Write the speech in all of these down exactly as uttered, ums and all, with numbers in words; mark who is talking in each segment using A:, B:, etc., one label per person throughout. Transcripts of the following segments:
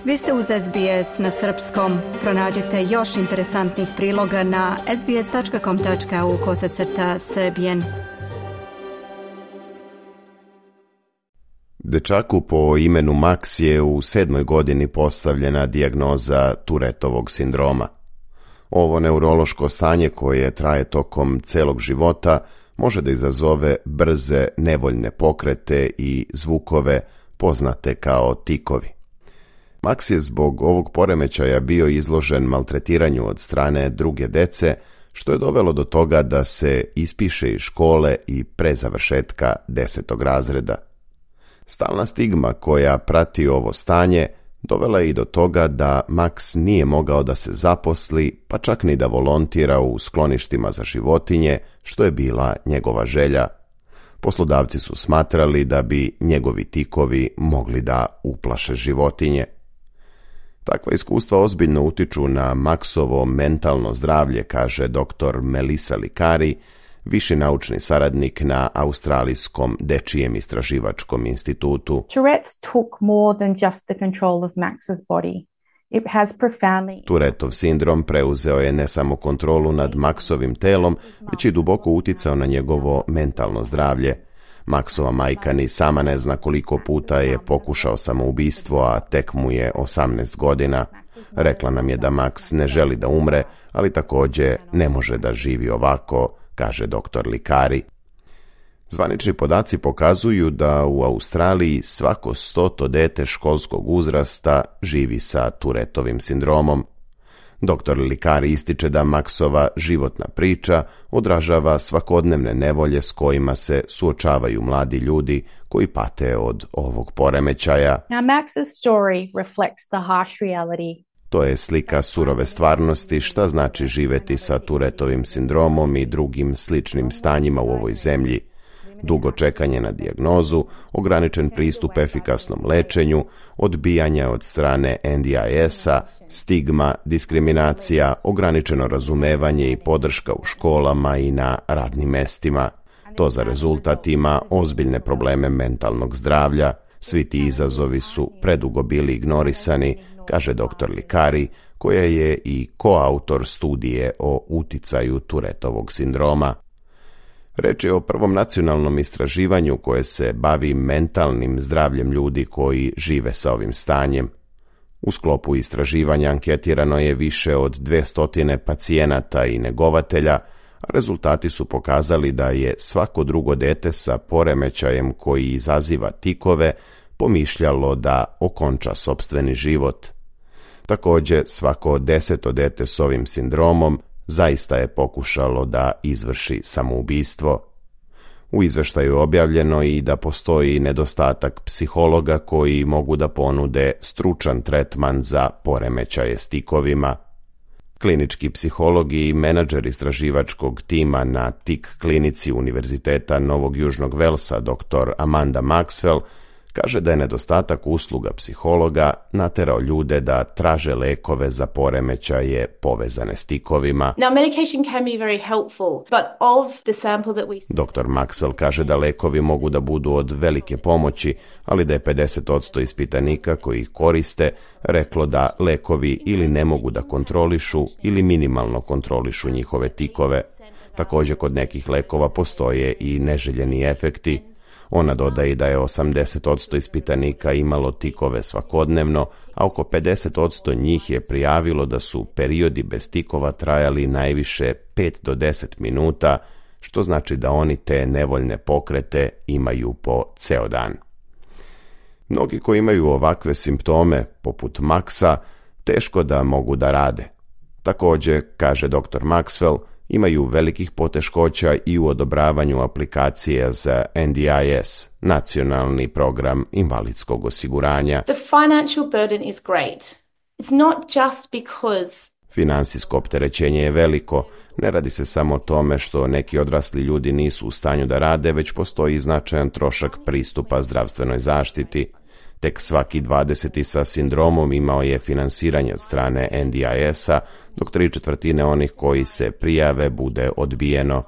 A: Vi ste uz S B S na srpskom. Pronađite još interesantnih priloga na sbs.com.au kosacrta srbijen.
B: Dečaku po imenu Max je u sedmoj godini postavljena dijagnoza Tourettovog sindroma. Ovo neurološko stanje koje traje tokom celog života može da izazove brze, nevoljne pokrete i zvukove poznate kao tikovi. Max je zbog ovog poremećaja bio izložen maltretiranju od strane druge dece, što je dovelo do toga da se ispiše iz škole i pre završetka desetog razreda. Stalna stigma koja prati ovo stanje dovela je i do toga da Max nije mogao da se zaposli, pa čak ni da volontira u skloništima za životinje, što je bila njegova želja. Poslodavci su smatrali da bi njegovi tikovi mogli da uplaše životinje. Takva iskustva ozbiljno utiču na Maxovo mentalno zdravlje, kaže doktor Melissa Licari, viši naučni saradnik na Australijskom dečijem istraživačkom institutu.
C: Tourette's took more than just the control of Max's body. It has profoundly...
B: Tourettov sindrom preuzeo je ne samo kontrolu nad Maxovim telom, već i duboko uticao na njegovo mentalno zdravlje. Maxova majka ni sama ne zna koliko puta je pokušao samoubistvo, a tek mu je osamnaest godina. Rekla nam je da Max ne želi da umre, ali također ne može da živi ovako, kaže doktor Licari. Zvanični podaci pokazuju da u Australiji svako stoto dete školskog uzrasta živi sa Tourettovim sindromom. Doktor Licari ističe da Maxova životna priča odražava svakodnevne nevolje s kojima se suočavaju mladi ljudi koji pate od ovog poremećaja.
C: Now Max's story reflects the harsh reality.
B: To je slika surove stvarnosti šta znači živeti sa Tourettovim sindromom i drugim sličnim stanjima u ovoj zemlji. Dugo čekanje na dijagnozu, ograničen pristup efikasnom lečenju, odbijanja od strane N D I S-a, stigma, diskriminacija, ograničeno razumevanje i podrška u školama i na radnim mestima. To za rezultat ima ozbiljne probleme mentalnog zdravlja. Svi ti izazovi su predugo bili ignorisani, kaže doktor Licari, koja je i koautor studije o uticaju Tourettovog sindroma. Reč je o prvom nacionalnom istraživanju koje se bavi mentalnim zdravljem ljudi koji žive sa ovim stanjem. U sklopu istraživanja anketirano je više od dvesta pacijenata i negovatelja, a rezultati su pokazali da je svako drugo dete sa poremećajem koji izaziva tikove pomišljalo da okonča sopstveni život. Također, svako deseto dete s ovim sindromom zaista je pokušalo da izvrši samoubistvo. U izveštaju je objavljeno i da postoji nedostatak psihologa koji mogu da ponude stručan tretman za poremećaje s tikovima. Klinički psihologi i menadžer istraživačkog tima na tik klinici Univerziteta Novog Južnog Velsa, doktor Amanda Maxwell, kaže da je nedostatak usluga psihologa naterao ljude da traže lekove za poremećaje povezane s tikovima.
D: Now, medication can be very helpful, but of the sample that we...
B: doktor Maxwell kaže da lekovi mogu da budu od velike pomoći, ali da je pedeset posto ispitanika koji ih koriste reklo da lekovi ili ne mogu da kontrolišu ili minimalno kontrolišu njihove tikove. Također kod nekih lekova postoje i neželjeni efekti. Ona dodaje da je osamdeset posto ispitanika imalo tikove svakodnevno, a oko pedeset posto njih je prijavilo da su periodi bez tikova trajali najviše pet do deset minuta, što znači da oni te nevoljne pokrete imaju po ceo dan. Mnogi koji imaju ovakve simptome, poput Maxa, teško da mogu da rade. Također, kaže doktor Maxwell, imaju velikih poteškoća i u odobravanju aplikacije za N D I S, nacionalni program invalidskog osiguranja.
D: The financial burden is great. It's not just because...
B: Finansijsko opterećenje je veliko. Ne radi se samo o tome što neki odrasli ljudi nisu u stanju da rade, već postoji značajan trošak pristupa zdravstvenoj zaštiti. Tek svaki dvadeseti sa sindromom imao je finansiranje od strane N D I S-a, dok tri četvrtine onih koji se prijave bude odbijeno.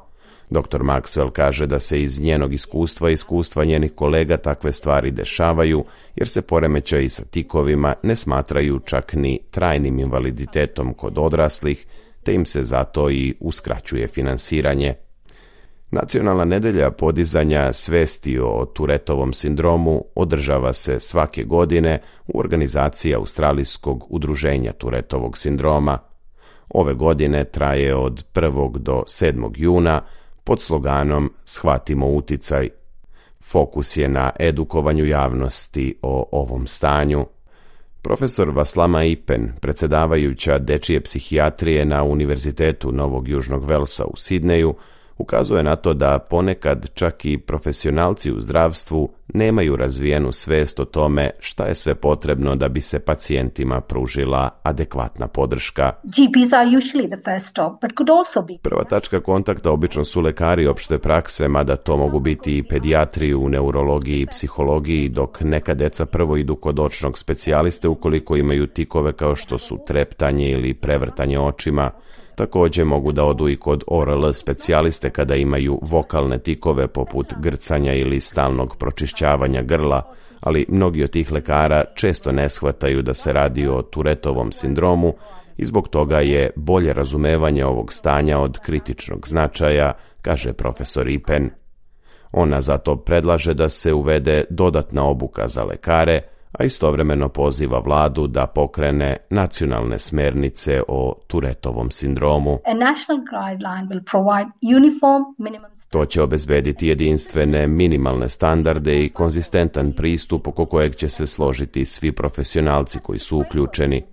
B: doktor Maxwell kaže da se iz njenog iskustva i iskustva njenih kolega takve stvari dešavaju, jer se poremećaji sa tikovima ne smatraju čak ni trajnim invaliditetom kod odraslih, te im se zato i uskraćuje finansiranje. Nacionalna nedelja podizanja svesti o Touretovom sindromu održava se svake godine u organizaciji Australijskog udruženja Touretovog sindroma. Ove godine traje od prvog do sedmog juna pod sloganom Shvatimo uticaj. Fokus je na edukovanju javnosti o ovom stanju. Profesor Vaslama Ipen, predsjedavajuća dečije psihijatrije na Univerzitetu Novog Južnog Velsa u Sidneju, ukazuje na to da ponekad čak i profesionalci u zdravstvu nemaju razvijenu svest o tome šta je sve potrebno da bi se pacijentima pružila adekvatna podrška. Prva tačka kontakta obično su lekari opšte prakse, mada to mogu biti i pedijatri u neurologiji i psihologiji, dok neka deca prvo idu kod očnog specijaliste ukoliko imaju tikove kao što su treptanje ili prevrtanje očima. Također mogu da odu i kod O R L specijaliste kada imaju vokalne tikove poput grcanja ili stalnog pročišćavanja grla, ali mnogi od tih lekara često ne shvataju da se radi o Touretovom sindromu i zbog toga je bolje razumevanje ovog stanja od kritičnog značaja, kaže profesor Ipen. Ona zato predlaže da se uvede dodatna obuka za lekare, a istovremeno poziva vladu da pokrene nacionalne smernice o Touretovom sindromu. To će obezbediti jedinstvene minimalne standarde i konzistentan pristup oko kojeg će se složiti svi profesionalci koji su uključeni.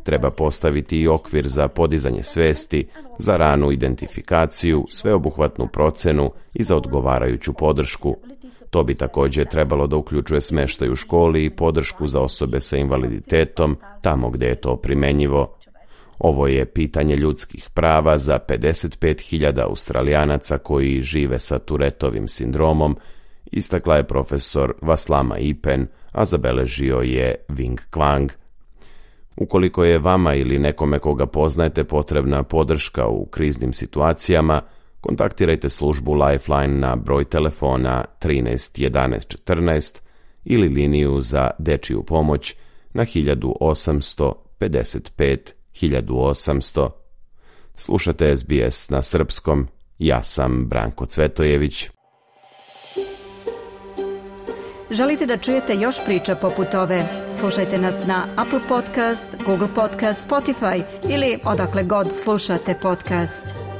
B: Treba postaviti i okvir za podizanje svesti, za ranu identifikaciju, sveobuhvatnu procenu i za odgovarajuću podršku. To bi također trebalo da uključuje smeštaj u školi i podršku za osobe sa invaliditetom tamo gdje je to primenjivo. Ovo je pitanje ljudskih prava za pedeset pet hiljada Australijanaca koji žive sa Touretovim sindromom, istakla je profesor Vaslama Ipen, a zabeležio je Wing Kwang. Ukoliko je vama ili nekome koga poznajete potrebna podrška u kriznim situacijama, kontaktirajte službu Lifeline na broj telefona trinaest jedanaest četrnaest ili liniju za dečiju pomoć na hiljadu osamsto pedeset pet hiljadu osamsto. Slušate S B S na srpskom, ja sam Branko Cvetojević.
A: Želite da čujete još priča poput ove? Slušajte nas na Apple Podcast, Google Podcast, Spotify ili odakle god slušate podcast.